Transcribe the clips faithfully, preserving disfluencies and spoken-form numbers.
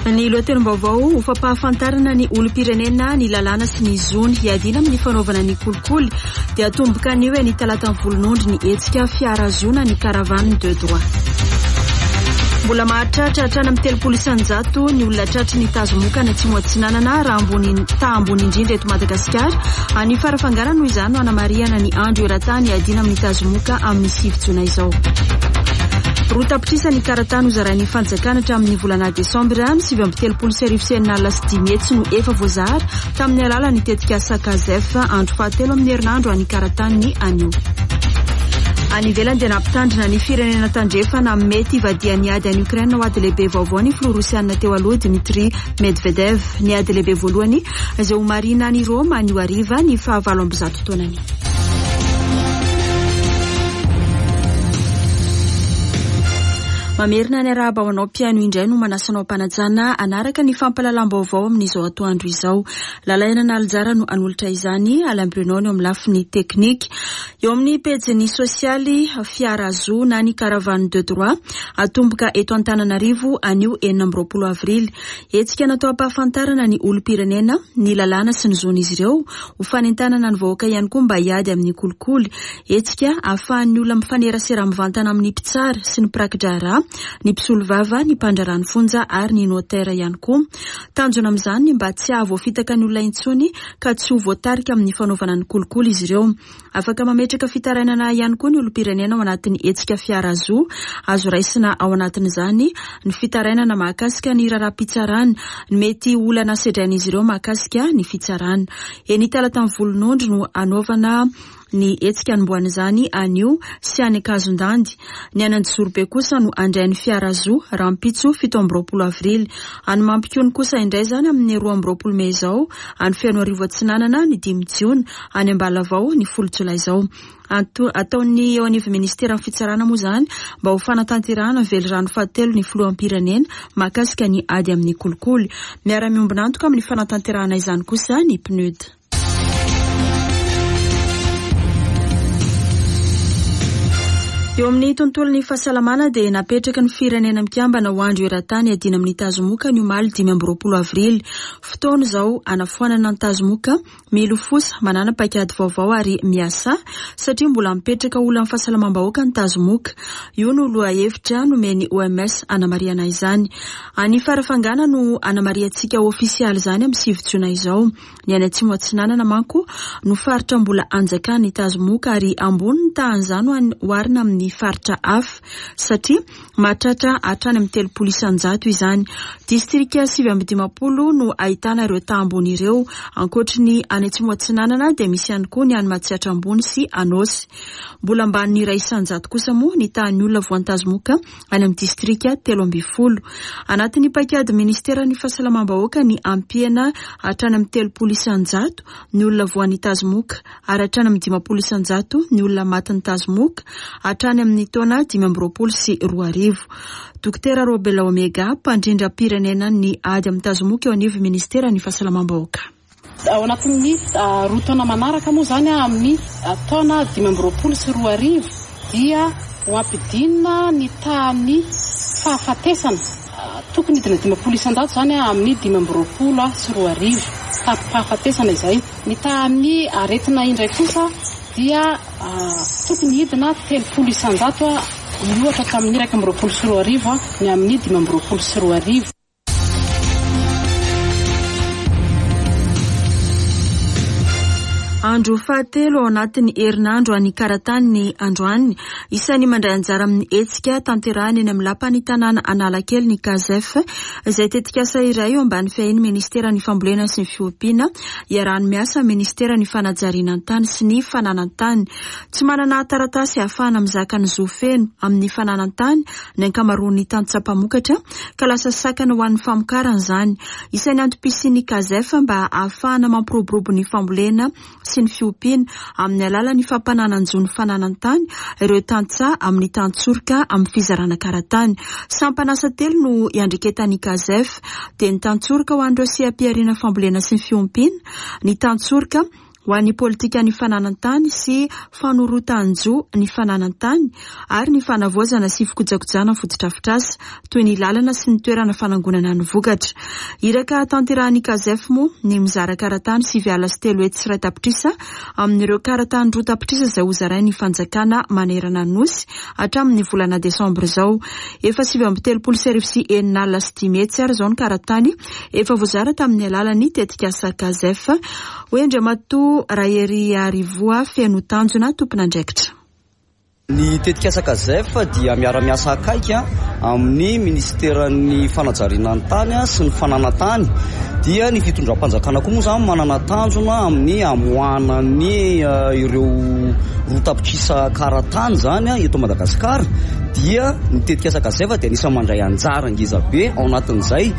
Ny lohatenim-baovao ho fampahafantarana ny olom-pirenena ny lalàna sy ny zony hiadiana amin'ny fanaovana ny kolikoly dia atomboka anio eny Talatan'ny Volonondry ny hetsika fiarazoana ny caravane de droit. Mbola mahatratra hatrany amin'ny telopolo isan-jato ny olona tratry ny tazomoka any Atsimo Atsinanana raha ambony taha ambony indrindra eto Madagasikara. Any Farafangana noho izany no anamarihana ny andro eran-tany hiadiana amin'ny tazomoka amin'ny sivy jona izao. Roa tapitrisa ny karatany hozarain'ny fanjakana hatramin'ny volana desambra sivy amby telopolo sy arivo sy enina alina sy dimy hetsy no efa voazara tamin'ny alalan'ny tetikasa Kazef andro fahatelo amin'ny herinandro any karatany anio. Any ivelany dia nampitandrina ny firenena tandrefana mety hivadihan'ny ady any Ukraine ho ady lehibe vaovao ny filoha rosianina teo aloha Dmitri Medvedev. Ny ady lehibe voalohany izay ho marihina any Roma anio hariva ny fahavalo amby zato taonany. Mamerina ny arahaba ho anao mpihaino indray no manasa anao am-panajana hanaraka ny fampahalalam-baovao amin'izao atoandro izao. Lalaina Nalijara no hanolotra izany, Alain Bruno no amin'ny lafiny teknika. Eo amin'ny pejin'ny sosialy Fiarazo na ny caravane de droit atomboka eto Antananarivo anio enina amby roapolo avrily. Hetsika natao hampahafantarana ny olom-pirenena, ny lalàna sy ny zon'izy ireo, ho fanentanana ny vahoaka ihany koa mba hiady amin'ny kolikoly. Hetsika ahafahan'ny olona mifanerasera mivantana amin'ny mpitsara sy ny mpiraki-draharaha, ny mpisolovava, ny mpandraharaha ny fonja ary ny notaire ihany koa. Tanjona amin'izany ny mba tsy hahavoafitaka ny olona intsony ka tsy ho voatarika amin'ny fanaovana ny kolikoly izy ireo. Afaka mametraka fitarainana ihany koa ny olom-pirenena ao anatin'ny hetsika Fiarazo. Azo raisina ao anatin'izany ny fitarainana mahakasika ny raharaham-pitsarana, ny mety olana sedrain'izy ireo mahakasika ny fitsarana. Eny Talatan'ny Volonondry no hanaovana ny hetsika anombohan'izany anio sy any Ankazondandy. Ny any Anjozorobe kosa no handray ny Fiarazo rahampitso fito amby roapolo avrily. Any Mampikony kosa indray izany amin'ny roa amby roapolo mey izao, any Fenoarivo Atsinanana ny dimy jiona, any Ambalavao ny folo jolay izao. Ataon'ny eo anivon'ny ministeran'ny fitsarana moa izany mba ho fanatanterahana ny velirano fahatelo ny filoham-pirenena mahakasika ny ady amin'ny kolikoly. Miara-miombon'antoka amin'ny fanatanterahana izany kosa ny P N U D. Eo amin'ny tontolon'ny fahasalamana dia napetraka ny firenena mikambana ho andro eran-tany hiadiana amin'ny tazomoka ny omaly dimy amby roapolo avrily. Fotoana izao hanafoanana ny tazomoka, milofosa, manana paikady vaovao ary miasa satria mbola mipetraka olan'ny fahasalamam-bahoaka ny tazomoka. Io no lohahevitra nomen'ny O M S hanamarihana izany. Any Farafangana no hanamarihantsika ofisialy izany amin'ny sivy jona izao. Ny any Atsimo Atsinanana manko no faritra mbola anjakan'ny tazomoka ary ambony ny tahan'izany ho an'ny oharina amin'ny faritra hafa satria mahatratra hatrany amin'ny telopolo isan-jato izany. Distrika sivy amby dimampolo no ahitana ireo taha ambony ireo. Ankoatry ny any Atsimo Atsinanana dia misy ihany koa ny any Matsiatra Ambony sy Anôsy. Mbola ambanin'ny iray isan-jato kosa moa ny tahan'ny olona voantazomoka any amin'ny distrika telo ambin'ny folo. Anatin'ny paikady ministeran'ny fahasalamam-bahoaka ny ampiana hatrany amin'ny telopolo isan-jato ny olona voan'ny tazomoka ary hatrany amin'ny dimampolo isan-jato ny olona matin'ny tazomoka hatrany amin'ny taona dimy amby roapolo sy roa arivo. Dokotera Robela Omega, mpandrindram-pirenena ny ady amin'ny tazomoka eo anivon'ny ministeran'ny fahasalamam-bahoaka. Ao anatin'ny roa taona manaraka moa izany amin'ny taona dimy amby roapolo sy roa arivo dia ho ampidinina ny tahan'ny fahafatesana. Tokony hidina dimampolo isan-jato izany amin'ny dimy amby roapolo sy roa arivo taham-pahafatesana izay. Ny tahan'ny aretina indray kosa dia tokony hidina telopolo isan-jato miohatra tamin'ny iraika amby roapolo sy roa arivo ny amin'ny dimy amby roapolo sy roa arivo. Andro fahatelo ao anatin'ny herinandro any Karatany ny androany. Isan'ny mandray anjara amin'ny hetsika tanterahana eny amin'ny lapan'ny tanàna Analakely ny Kazef, izay tetikasa iray eo ambany fiahian'ny ministeran'ny fambolena sy ny fiompiana, iarahan'ny miasa amin'ny ministeran'ny fanajariana ny tany sy ny fananan-tany. Tsy manana taratasy ahafahana mizaka ny zo feno amin'ny fananan-tany ny ankamaroan'ny tantsaha mpamokatra ka lasa sakana ho an'ny famokarana izany. Isan'ny antom-pisian'ny Kazef mba ahafahana mampiroborobo ny fambolena sy ny fiompiana amin'ny alalan'ny fampananan-jo ny fananan-tany ireo tantsaha amin'ny tantsoroka amin'ny fizarana karatany. Sampan'asa telo no iandreketan'ny Kazef, dia ny tantsoroka ho an'ireo seha-pihariana fambolena sy ny fiompiana, ny tantsoroka ho an'ny politikan'ny fananan-tany sy fanorotan-jo ny fananan-tany ary ny fanavaozana sy fikojakojana fotodrafitrasa toy ny lalana sy ny toerana fanangonana ny vokatra. Iraka tanterahan'ny Cazef moa ny mizara karatany sivy alina sy telo hetsy sy iray tapitrisa amin'ireo karatany roa tapitrisa izay hozarain'ny fanjakana manerana ny nosy hatramin'ny volana desambra izao. Efa sivy amby telopolo sy arivo sy enina alina sy dimy hetsy ary izao ny karatany efa voazara tamin'ny alalan'ny tetikasa Cazef. Hoy Andriamatoa Rahery Arivoa Feno Tanjona, tompon'andraikitra. Ny tetikasa Cazef dia miara-miasa akaiky amin'ny ministeran'ny fanajariana ny tany sy ny fananan-tany. Dia ny fitondram-panjakana koa moa zany manana tanjona amin'ny amoahana ny ireo roa tapitrisa karatany zany eto Madagasikara. Dia ny tetikasa Cazef dia anisan'ny mandray anjara ngeza be ao anatin'izay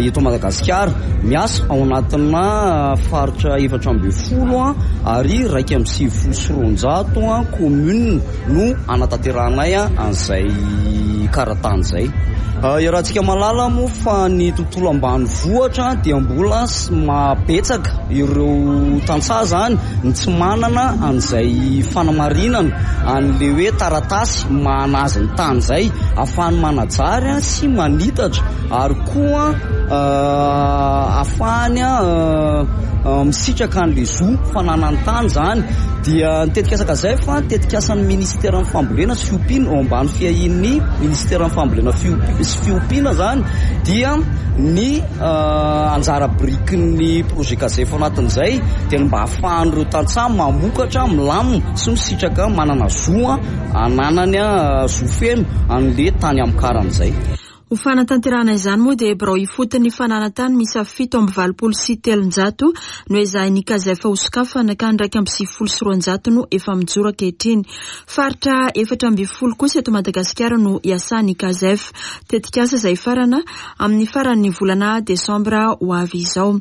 eto Madagasikara. Miasa ao anatina faritra efatra ambin'ny folo ary iraika amby sivifolo sy roanjato commune no anatanterahanay an'izay karatany izay. Iarahantsika mahalala moa fa ny tontolo ambanivohitra dia mbola mabetsaka ireo tantsaha zany ny tsy manana an'izay fanamarinana an'le hoe taratasy mahanazy ny tany izay ahafahany manajary sy manitatra ary koa ahafahany misitraka an'le zo fananany tany zany. Dia ny tetikasa Cazef tetikasan'ny ministeran'ny fambolena sy fiompiana ao ambany fiahian'ny ministeran'ny fambolena sy fiompiana zany dia ny anjara birikin'ny projet Cazef anatin'izay dia ny mba ahafahan'ireo tantsaha mamokatra milamina sy misitraka manana zo ananany zo feno an'le tany amokarana izay. Ho fanatanterahana izany moa dia birao ifotony fananan-tany miisa fito amby valopolo sy telonjato no ezahin'ny Cazef hosokafana ka ny iraika amby sivifolo sy roanjato no efa mijoro ankehitriny. Faritra efatra ambin'ny folo kosa eto Madagasikara no iasan'ny Cazef. Tetikasa izay farana amin'ny faran'ny volana desambra ho avy izao.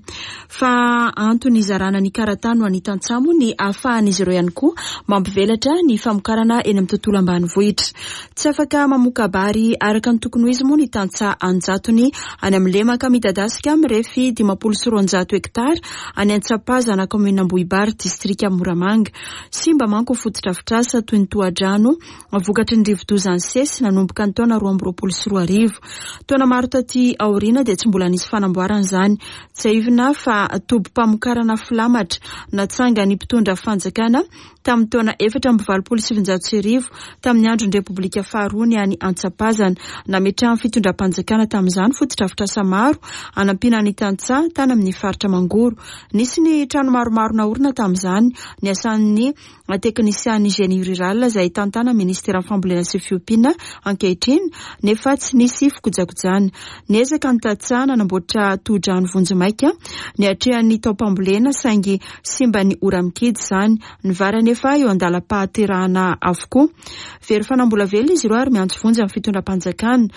Fa antony izarana ny karatany ho an'ny tantsaha moa ny ahafahan'izy ireo ihany koa mampivelatra ny famokarana eny amin'ny tontolo ambanivohitra. Tsy afaka mamoka-bary araka ny tokony ho izy moa ny tantsaha anjatony any amin'ny lemaka midadasika mirefy dimampolo sy roanjato hektara any Antsapazana, kaominina Ambohibary, distrika Moramanga. Simba manko fotodrafitrasa toy ny tohadrano vokatry ny rivodoza nisesy nanomboka ny taona roa amby roapolo sy roa arivo. Taona maro taty aoriana dia tsy mbola nisy fanamboarana izany. Tsiahivina fa tobim-pamokarana filamatra natsangan'ny mpitondra fanjakana tamin'ny taona efatra amby valopolo sy sivinjato sy arivo tamin'ny andron'ny Repoblika faharoa ny any Antsapazana. Nametrahan'ny fitondram-panjakana tamin'izany fotodrafitrasa maro anampiana ny tantsaha tany amin'ny faritra Mangoro. Nisy ny trano maromaro naorina tamin'izany, ny asan'ny teknisian'ny génie rural izay tantana ministeran'ny fambolena sy fiompiana ankehitriny, nefa tsy nisy fikojakojana. Niezaka ny tantsaha nanamboatra tohodrano vonjimaika niatrehan'ny taom-pambolena saingy simba ny ora-mikidy izany. Ny vary anefa eo an-dalam-pahaterahana avokoa. Very fanambola velona izy ireo ary miantso vonjy amin'ny fitondram-panjakana.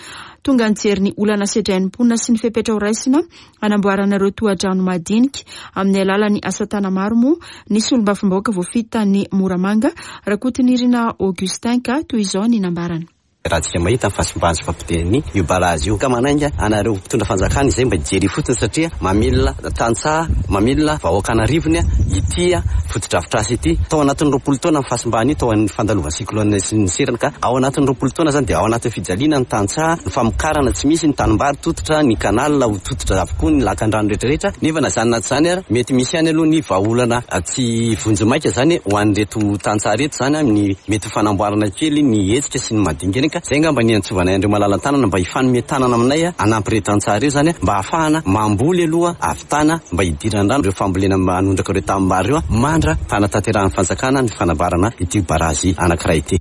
Tonga nijery ny olana sedrain'ny mponina sy ny fepetra horaisina hanamboarana ireo tohadrano madinika amin'ny alalan'ny asa tana maro moa ny solombavambahoaka voafidy tany Moramanga, Rakotonirina Augustin, ka toy izao ny nambarany. Raha tsika mahita ny fahasimbany sy fampotehany io barazy io ka manainga anareo mpitondra fanjakana izay mba hijery fotsiny satria mamilona tantsaha, mamilona vahoaka anarivony ity fotodrafitrasa ity. Tao anatin'ny roapolo taona ny fahasimbany io, tao amin'ny fandalovan'ny cyclone sy ny seriny, ka ao anatin'ny roapolo taona zany dia ao anatin'ny fijaliana ny tantsaha, ny famokarana tsy misy, ny tanimbary tototra, ny kanal ho tototra avokoa, ny lakandrano rehetrarehetra. Nefa na zany na tsy zany ary mety misy ihany aloha ny vahaolana tsy vonjimaika zany ho an'ireto tantsaha reto zany amin'ny mety ho fanamboarana kely ny hetsika sy ny madinika eny. Ka zay angamba ny antsovanay andreo malala-tanana mba hifanome tanana aminay hanampy ireto tantsaha ireo zany mba ahafahana mamboly aloha ahavitana mba hidiran-drano ireo fambolena manondraka ireo tanimbary ireo mandra fanatanterahany fanjakana ny fanamboarana ity barazy anankiray ity.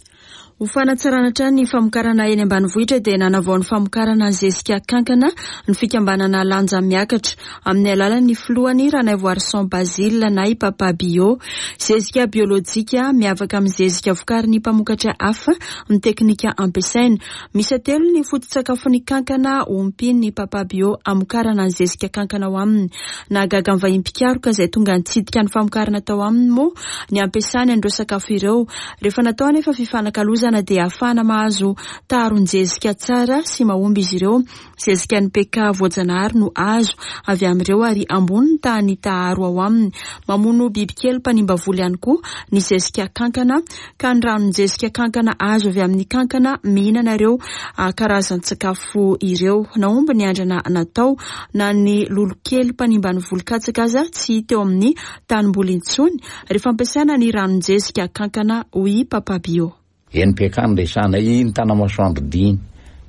Ho fanatsarana hatrany ny famokarana eny ambanivohitra dia nanavao ny famokarana ny zezika kankana ny fikambanana Lanja Miakatra amin'ny alalan'ny filohany Ranaivoarison Basile na i Papa Bio. Zezika biolojika miavaka amin'ny zezika vokarin'ny mpamokatra hafa ny teknika ampiasaina. Misy telo ny foto-tsakafon'ny kankana ompian'ny Papa Bio amokarana ny zezika kankana ao aminy. Nahagaga ny vahiny mpikaroka izay tonga nitsidika ny famokarana tao aminy moa ny ampiasany an'ireo sakafo ireo. Rehefa natao anefa fifanakalozana kankana dia ahafahana mahazo taharon-jezika tsara sy mahomby izy ireo. Zezika N P K voajanahary no azo avy amin'ireo ary ambony ny tahan'ny taharo ao aminy. Mamono bibikely mpanimba voly ihany koa ny zezika kankana, ka ny ranon-jezika kankana azo avy amin'ny kankana mihinana ireo karazan-tsakafo ireo. Nahomby ny andrana natao, na ny lolokely mpanimba ny voly katsaka aza tsy teo amin'ny tanimboly intsony rehefa ampiasaina ny ranon-jezika kankana, hoy Papabio. N P K no resahana iny Tanamasoandro diny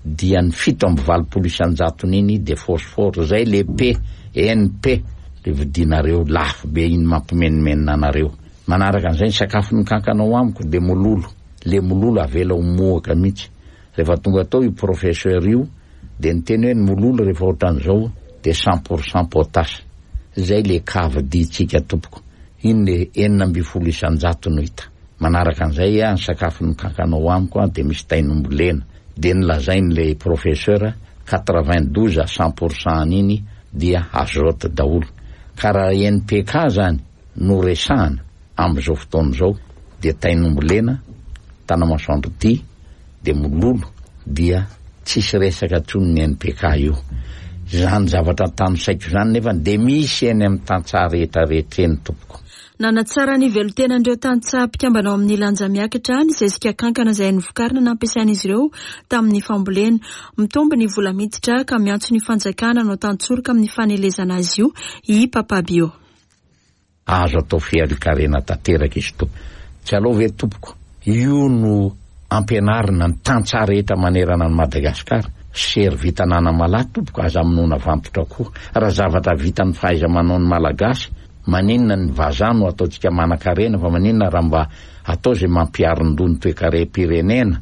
dia ny fito amby valopolo isanjatony iny de phosphore, zay le P N P le vidinareo lafo be iny mampimenomenona anareo. Manaraka an'izay, ny sakafo ny kankanao amiko de mololo, le mololo avela ho mohaka mihitsy. Rehefa tonga atao io professeur io de nyteny hoe ny mololo rehefa ohatran'izao de cent pour cent potasse, zay le K vidintsika tompoko iny, le enina amby folo isanjato no hita. Manaraka an'izay a, ny sakafo ny kankanao amiko a de misy tainombolena, de nylazainy le professeur quatre-vingt douze à cent pour cent an'iny dia azote daholo. Ka raha N P K zany no resahana am'izao fotoana zao de tainombolena Tanamasoandro ty de mololo, dia tsisy resaka ntsony ny N P K io zany. Zavatra tano saiko zany nefa de misy eny amin'ny tantsaha rehetrarehetra eny tompoko. Nanatsara ny velontenan'ireo tantsaha mpikambana ao amin'ny Lanja Miakatra ny zezika kankana izay novokarina nampiasain'izy ireo tamin'ny fambolena. Mitombo ny vola miditra ka miantso ny fanjakana no tantsoroka amin'ny fanelezana azy io i Papabio. Azo atao fiarikarena tanteraka izy tompo, tsy aloha ve tompoko io no ampianarina ny tantsaha rehetra manerana ny Madagasikara. Sery vitanana malahy tompoko, aza amonoana vantotra koa. Raha zavatra vita ny fahaiza manao ny Malagasy, maninona ny vazaha no ataontsika manan-karena? Fa maninona raha mba atao zay mampiarin-doha ny toekarem-pirenena?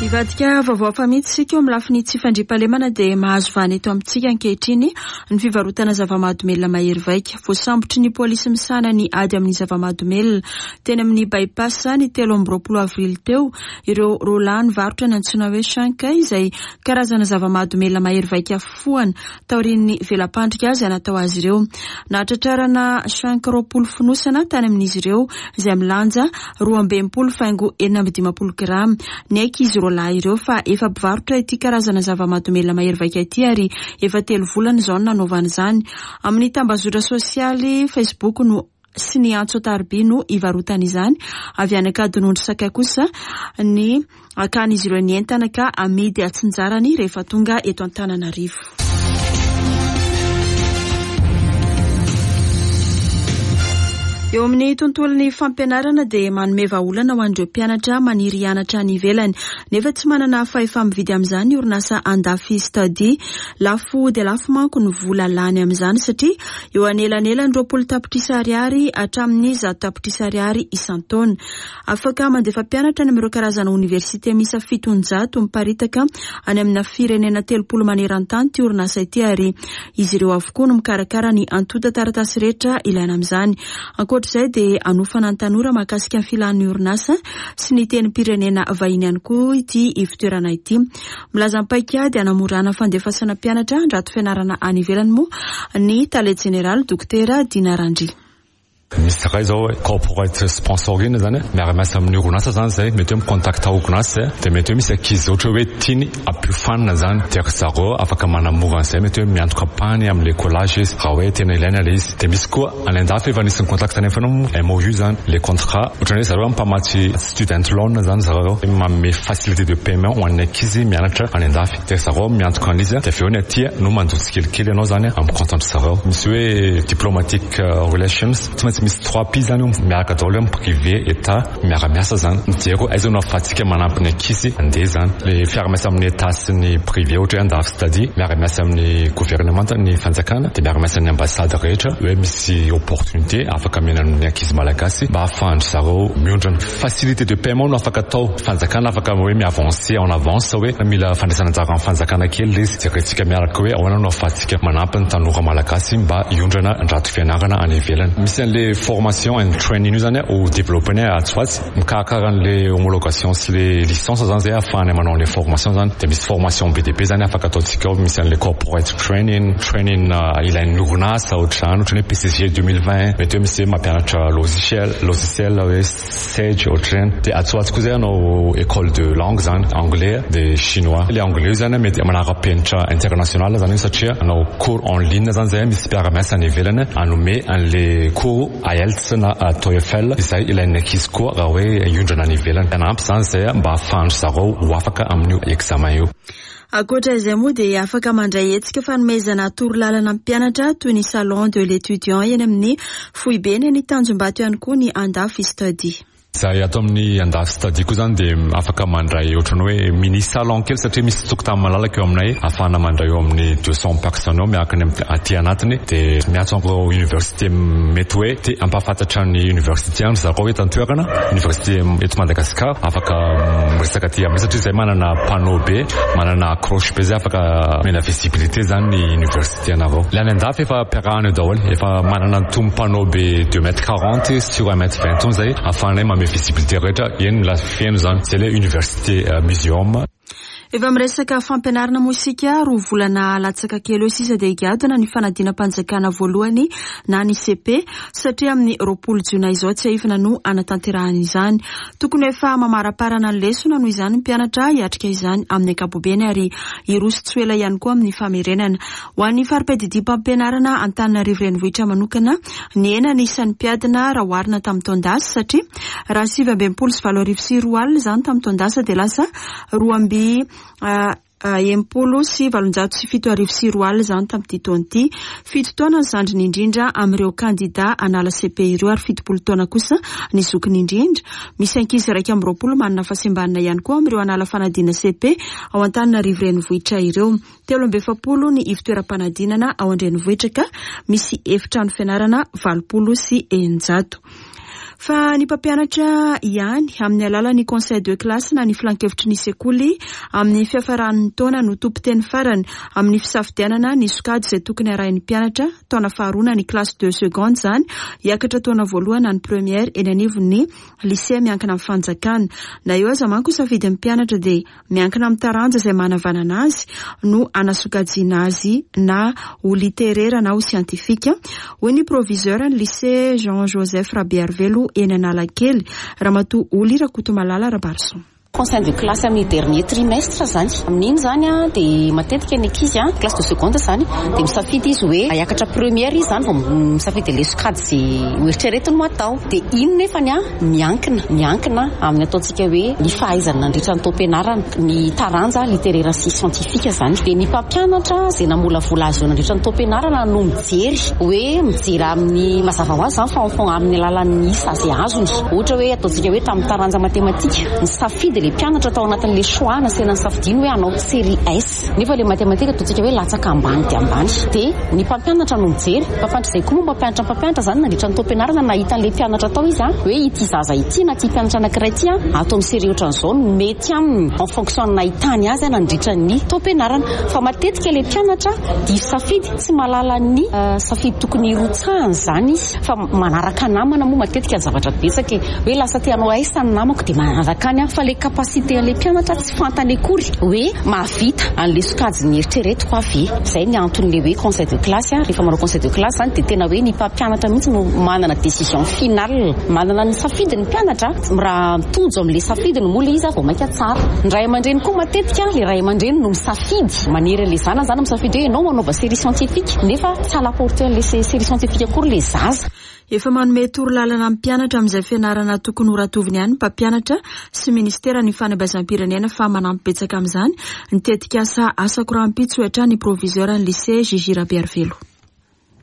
Hivadika vaovao fa mihitsy isika. Eo amin'ny lafiny tsy fandriampahalemana dia mahazo vahana eto amintsika ankehitriny ny fivarotana zava-mahadomelina mahery vaika. Voasambotry ny polisy misahana ny ady amin'ny zava-mahadomelina teny amin'ny By-pass ny telo amby roapolo avrily teo ireo roalahy nivarotra ny antsoina hoe chanka, izay karazana zava-mahadomelina mahery vaika fohana taorian'ny vela-pandrika izay natao azy ireo. Nahatratrarana chanka roapolo fonosana tany amin'izy ireo izay milanja roa amby enimpolo faingo enina amby dimampolo grama. Niaiky izy roalahy ireo fa efa mpivarotra ity karazana zava-mahadomelina mahery vaika ity ary efa telo volana izao no nanaovana izany. Amin'ny tambazotra sosialy Facebook no sy ny antso an-tariby no ivarotana izany. Avy any Ankadinondry Sakay kosa ny akan'izy ireo ny entana ka amidy atsinjarany rehefa tonga eto Antananarivo. Eo amin'ny tontolon'ny fampianarana dia manome vahaolana ho an'ireo mpianatra maniry hianatra any ivelany nefa tsy manana fahefa-mividy amin'izany ny orinasa Andafy Study. Lafo dia lafo manko ny vola lany amin'izany satria eo anelanelany roapolo tapitrisa ariary hatramin'ny zato tapitrisa ariary isan-taona. Afaka mandefa mpianatra any amin'ireo karazana oniversite miisa fitonjato miparitaka any amina firenena telopolo maneran-tany ty orinasa ity, ary izy ireo avokoa no mikarakara ny antontan-taratasy rehetra ilaina amin'izany. Ankoatr'izay dia anofana ny tanora mahakasika ny filan'ny orinasa sy ny tenim-pirenena vahiny ihany koa ity ivontoerana ity. Milaza ny paikady hanamorana fandefasana mpianatra handrato fianarana any ivelany moa ny tale jeneraly, Dokotera Dina Randria. Misy ray zao hoe corporate sponsoring zany, miara-miasa amin'ny orinasa zany zay, mety hoe mi-contact orinasa zay, de mety hoe misy ankizy ohatra hoe tiany ampiofanina zany, de ry zareo afaka manamora an'izay, mety hoe miantoka ampahany amin'le collage izy raha hoe tena ilaina le izy. De misy koa any andafy efa nisy ny contact any efa M O U zany, le contrat ohatrany hoe zareo mpamatsy student loan zany, zareo manome facilité de paiement ho an'ny ankizy mianatra any andafy, de zareo miantoka an'izy, de avy eo ny aty no mandoa tsikelikely ianao zany amin'ny compte an-dry zareo. Misy hoe diplomatic relations, tsy maintsy misy trois P zany io miaraka daholo amin'ny privé, état, miara-miasa zany, mijery hoe aiza no ahafahantsika manampy ny ankizy andeha zany. Le fiara-miasa amin'ny état sy ny privé, ohatra hoe Andafy Study miara-miasa amin'ny gouvernement, ny fanjakana, de miara-miasa ny ambassade rehetra hoe misy opportunité afaka omena ny ankizy malagasy mba ahafahan-dry zareo miondrana. Facilité de paiement no afaka atao, fanjakana afaka hoe mi-avancer en avance hoe mila fandraisana anjara amin'ny fanjakana kely le izy, jerentsika miaraka hoe ahoana no ahafahantsika manampy ny tanora malagasy mba hiondrana andrato fianarana any ivelany. Misy an'le le formation and training io zany ho développé atsy ho atsy, mikarakara an'le homologation sy le licence zany zay ahafahana manao an'le formation zany. De misy formation be dia be zany afaka ataontsika ao, misy an'le corporate training, training ilain'ny orinasa ohatr'izany, ohatrany hoe P C G deux mille vingt, mety hoe misy hoe mampianatra logiciel logiciel hoe Sage ohatr'ireny. De atsy ho atsy koa zay anao école de langue zany, anglais de chinois. Le anglais io zany mety manara-penitra international zany io, satria anao cours en ligne zany zay, misy mpiara-miasa any ivelany anome an'le cours IELTS na TOEFL izay ilain'ny ankizy koa raha hoe iondrana any ivelany. Anampy zany zay mba ahafahan-dry zareo ho afaka amin'io examen io. Ankoatra izay moa dia afaka mandray hetsika fanomezana torolalana mpianatra toy ny salon de l'étudiant eny amin'ny foibeny ny Tanjombato ihany koa ny Andafy Study. Zay atao amin'ny Andafy Study koa zany dia afaka mandray ohatrany hoe mini salon kely, satria misy tokotany malalaka eo aminay ahafahana mandray eo amin'ny deux cent personnes eo miaraka ny aty anatiny. Dia miantso an'ireo université mety hoe te ampahafantatra ny université any zareo eto an-toerana, université eto Madagasikara, afaka miresaka aty aminay, satria zay manana panneau be, manana accroche be zay afaka mena visibilité zany ny université anareo. Le any Andafy efa ampiarahana eo daholo, efa manana an'itony panneau be deux mètres quarante sur un mètre vingt tony zay ahafahanay mame visibilité rehetra eny la feno zany zay le université muséum. Efa miresaka fampianarana moa isika. Roa volana latsaka kely eo sisa dia higadona ny fanadinam-panjakana voalohany na ny C E P, satria amin'ny roapolo jona izao tsy aifina no anatanterahana izany. Tokony efa mamaraparana ny lesona noho izany mpianatra hiatrika izany amin'ny ankapobeny, ary hiroso tsy ho ela ihany koa amin'ny famerenana. Ho an'ny fari-piadidiam-pampianarana Antananarivo renivohitra manokana, ny ena ny isan'ny mpiadina raha oharina tamin'ny taon-dasa, satria raha sivy amby enimpolo sy valo arivo sy roa alina izany tamin'ny taon-dasa, dia lasa roa amby enimpolo sy valonjato sy fito arivo sy roa alina izany tamin'ity taona ity. Fito taona ny zandriny indrindra amin'ireo kandida anala C E P ireo, ary fitopolo taona kosa ny zokiny indrindra. Misy ankizy iraika amby roapolo manana fahasembanana ihany koa amin'ireo anala fanadina C E P ao Antananarivo renivohitra ireo. Telo amby efapolo ny ivotoeram-panadinana ao an-drenivohitra, ka misy efitrano fianarana valopolo sy eninjato. Fa ny mpampianatra ihany amin'ny alalan'ny conseil de classe na ny filankevitry ny sekoly amin'ny fiafaran'ny taona no tompon-teny farany amin'ny fisafidianana ny sokajy izay tokony arahin'ny mpianatra taona faharoa na ny classe de seconde zany hiakatra taona voalohany na ny première eny anivon'ny lycée miankina amin'ny fanjakana. Na eo aza manko safidin'ny mpianatra, dia miankina amin'ny taranja izay manavanana azy no anasokajiana azy, na ho littéraire na ho scientifique, hoy ny proviseur ny lycée Jean Joseph Rabearivelo eny Analakely, Ramatoa Oly Rakotomalala Rabarison. Conseil de classe amin'ny dernier trimestre zany, amin'iny zany a dia matetika ny ankizy a classe de seconde zany dia misafidy izy hoe hiakatra première izy zany vao misafidy le sokajy zay hoeritreretiny no atao. Dia ino nefany a miankina miankina amin'ny ataontsika hoe ny fahaizana nandritra ny taom-pianarana ny taranja littéraire sy scientifique zany. Dia ny mpampianatra zay namolavola azy eo nandritra ny taom-pianarana no mijery hoe mijery amin'ny mazava ho azy zany fa amin'ny alalan'ny isa zay azony. Ohatra hoe ataontsika hoe tamin'ny taranja matematika, ny safidy le mpianatra tao anatin'le choix nasaina ny safidiny hoe hanao série S, nefa le matematika ataontsika hoe latsaka ambany dia ambany, dia ny mpampianatra no mijery. Mpampianatra zay koa moa mpampianatra mpampianatra zany nandritra ny taom-pianarana nahita an'le mpianatra tao izy a hoe ity zaza ity na ty mpianatra anankiray ity a atao amin'ny série ohatran'izao no mety aminy en fonction nahitany azy a nandritra ny taom-pianarana. Fa matetika le mpianatra diso safidy, tsy mahalala ny safidy tokony hirotsahany zany izy, fa manaraka namana moa matetika ny zavatra betsaka e, hoe lasa te hanao S ny namako dia manaraka any a fa le capacité an'le mpianatra tsy fantany akory hoe mahavita an'le sokajy ny eritreretiko avy. Zay ny anton'le hoe conseil de classe a rehefa manao conseil de classe zany dia tena hoe ny mpampianatra mihitsy no manana décision finale, manana ny safidy ny mpianatra. Raha mitojo amin'le safidiny moa le izy a vao mainka tsara. Ny ray aman-dreny koa matetika, le ray aman-dreny no misafidy, manery an'le zana zany misafidy hoe ianao manaova série scientifique, nefa tsy à la portée an'le série scientifique akory le zaza. Efa manome torolalana amin'ny mpianatra amin'izay fianarana tokony ho ratoviny ihany mpampianatra sy ministera ny fanabeazam-pirenena, fa manampy betsaka amin'izany ny tetikasa Asako Rahampitso, hatrany proviseur ny lycée J J Rabearivelo.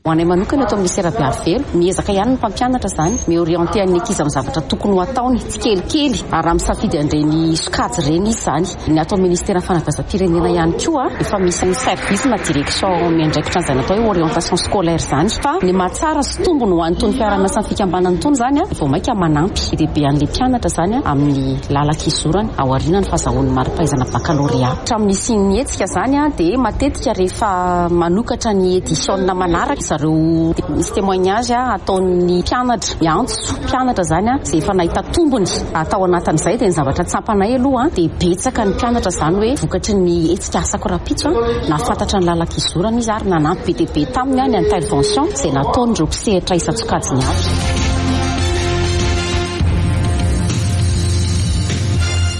Ho anay manokana eto amin'ny lycée Rabearivelo, miezaka ihany ny mpampianatra zany miorienté an'ny ankizy amin'ny zavatra tokony ho ataony tsikelikely ary raha misafidy an'ireny sokajy ireny izy zany. Ny atao ministera fanabeazam-pirenena ihany koa efa misy service na direction miandraikitra an'izay natao hoe orientation scolaire zany. Fa ny mahatsara sy tombony ho an'itony fiaraha-miasan'ny fikambanana itony zany a vao mainka manampy lehibe an'le mpianatra zany a amin'ny lalan-kizorany aoriana ny fahazahoan'ny mari-pahaizana baccalauréat. Hatramin'ny nisian'ny hetsika zany a dia matetika rehefa manokatra ny édition manaraka zareo. Misy témoignage ataon'ny mpianatra, miantso mpianatra zany a, zay efa nahita tombony atao anatin'izay. Dia ny zavatra tsapanay aloha dia betsaka ny mpianatra zany hoe vokatry ny hetsika Asako Rahampitso nahafantatra ny lalan-kizorana izy ary nanampy be dia be taminy ny intervention izay nataon'ireo mpisehatra isan-tsokajiny avy.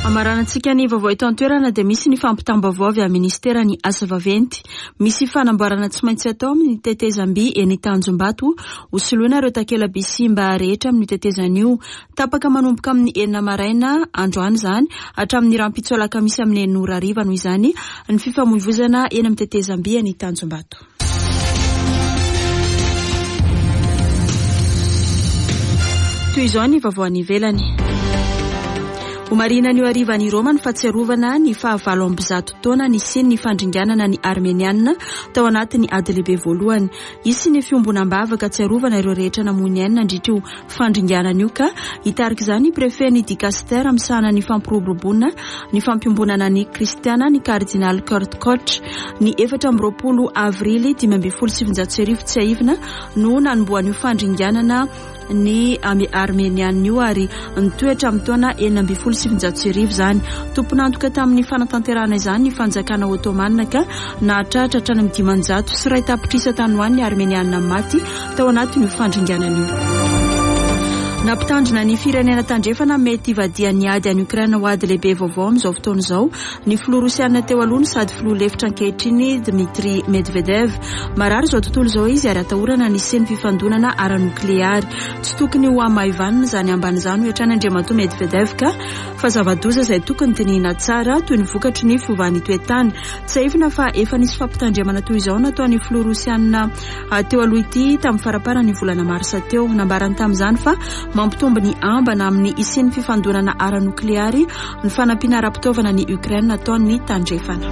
Amaranantsika ny vaovao eto an-toerana dia misy ny fampitam-baovao avy amin'ny ministeran'ny asa vaventy. Misy fanamboarana tsy maintsy atao amin'ny tetezam-by eny Tanjombato ho soloina ireo takela-by simba rehetra amin'ny tetezana io. Tapaka manomboka amin'ny enina maraina androany izany hatramin'ny rahampitso alakamisy amin'ny enina ora hariva noho izany ny fifamoivozana eny amin'ny tetezam-by eny Tanjombato. Toy izao ny vaovao any ivelany. Homarihina anio hariva any Roma ny fahatsiarovana ny fahavalo amby zato taona nisian'ny fandringanana ny Armeniana tao anatin'ny ady lehibe voalohany. Hisy ny fiombonam-bavaka tsiarovana ireo rehetra namoy ny ainy nandritra io fandringanana io ka hitarika izany préfet ny dicaster misahana ny fampiroboroboana ny fampiombonana ny kristiana ny kardinaly Kurt Koch. Ny efatra amby roapolo avrily dimy ambin'ny folo sy sivinjato sy arivo tsiahivina no nanombohan'io fandringanana ny Armeniana io ary nitoetra amin'ny taona enina ambin'ny folo sy sivinjato sy arivo izany. Tompon'antoka tamin'ny fanatanterahana izany ny fanjakana Ottoman ka nahatratra hatrany amin'ny dimanjato sy iray tapitrisa tany ho any ny Armeniana maty tao anatin'io fandringanana io. Nampitandrina ny firenena tandrefana mety hivadihan'ny ady any Ukraine ho ady lehibe vaovao amin'izao fotoana izao ny filoha rosiana teo aloha no sady filoha lefitra ankehitriny Dmitri Medvedev. Marary izao tontolo izao izy ary atahorana ny hisian'ny fifandonana ara-nokleary. Tsy tokony ho hamaivanina izany ambany izany hoy hatrany Andriamatoa Medvedev ka fa zava-doza izay tokony dinihina tsara toy ny vokatry ny fiovan'ny toetany. Tsiahivina fa efa nisy fampitandremana toy izao nataon'ny filoha rosiana teo aloha ity tamin'ny faramparan'ny volana marsa teo. Nambarany tamin'izany fa mampitombo ny ambana amin'ny hisian'ny fifandonana ara-nokleary ny fanampiana ara-pitaovana ny Ukraine nataon'ny tandrefana.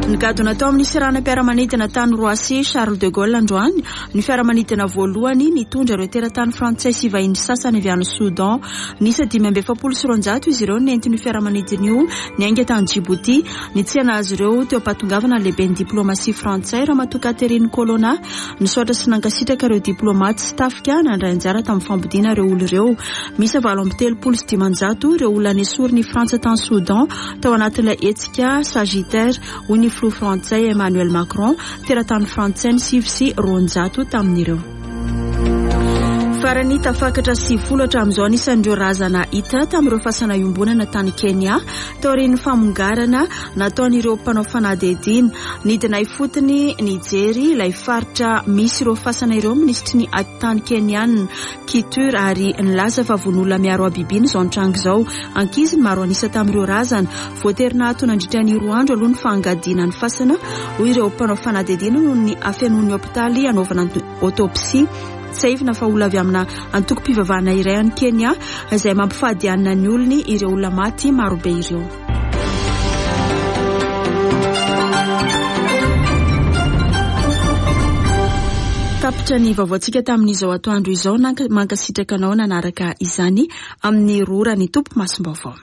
Nigadona tao amin'ny seranam-piaramanidina tany Roissy Charles de Gaulle androany ny fiaramanidina voalohany nitondra ireo teratany frantsay sy vahiny sasany avy any Soudan. Niisa dimy amby efapolo sy roanjato izy ireo nentin'io fiaramanidina io niainga tany Djibouti. Nitsena azy ireo teo am-pahatongavana lehiben'ny diplomasia frantsay Ramatoa Catherine Colonna. Nisaotra sy nankasitraka ireo diplomaty sy tafika nandray anjara tamin'ny fampodiana ireo olona ireo. Miisa valo amby telopolo sy dimanjato ireo olona nesorin'ny Frantsa tany Soudan tao anatin'ilay hetsika Sagittaire hoy ny filoha frantsay Emmanuel Macron. Teratany frantsay ny sivy sy roanjato tamin'ireo. Farany tafakatra sivifolo hatramin'izao anisan'ireo razana hita tamin'ireo fasana iombonana tany Kenya taorian'ny famongarana nataon'ireo mpanao fanadihadiana. Nidina ifotony nijery ilay faritra misy ireo fasana ireo minisitry ny atitany Kenyana Kitur ary nilaza fa vonola miaro habibiana izao nitranga izao. Ankizy ny maro anisa tamin'ireo razana. Voatery nahato nandritra ny roa andro aloha ny fangadiana ny fasana hoy ireo mpanao fanadihadiana noho ny hafenoan'ny hopitaly hanaovana autopsie. Tsiahivina fa olona avy amina antokom-pivavahana iray any Kenya izay mampifady hanina ny olony ireo olona maty marobe ireo. Tapitra ny vaovaontsika tamin'izao atoandro izao. Mankasitraka anao nanaraka izany amin'ny roa ora ny tompo masom-baovao.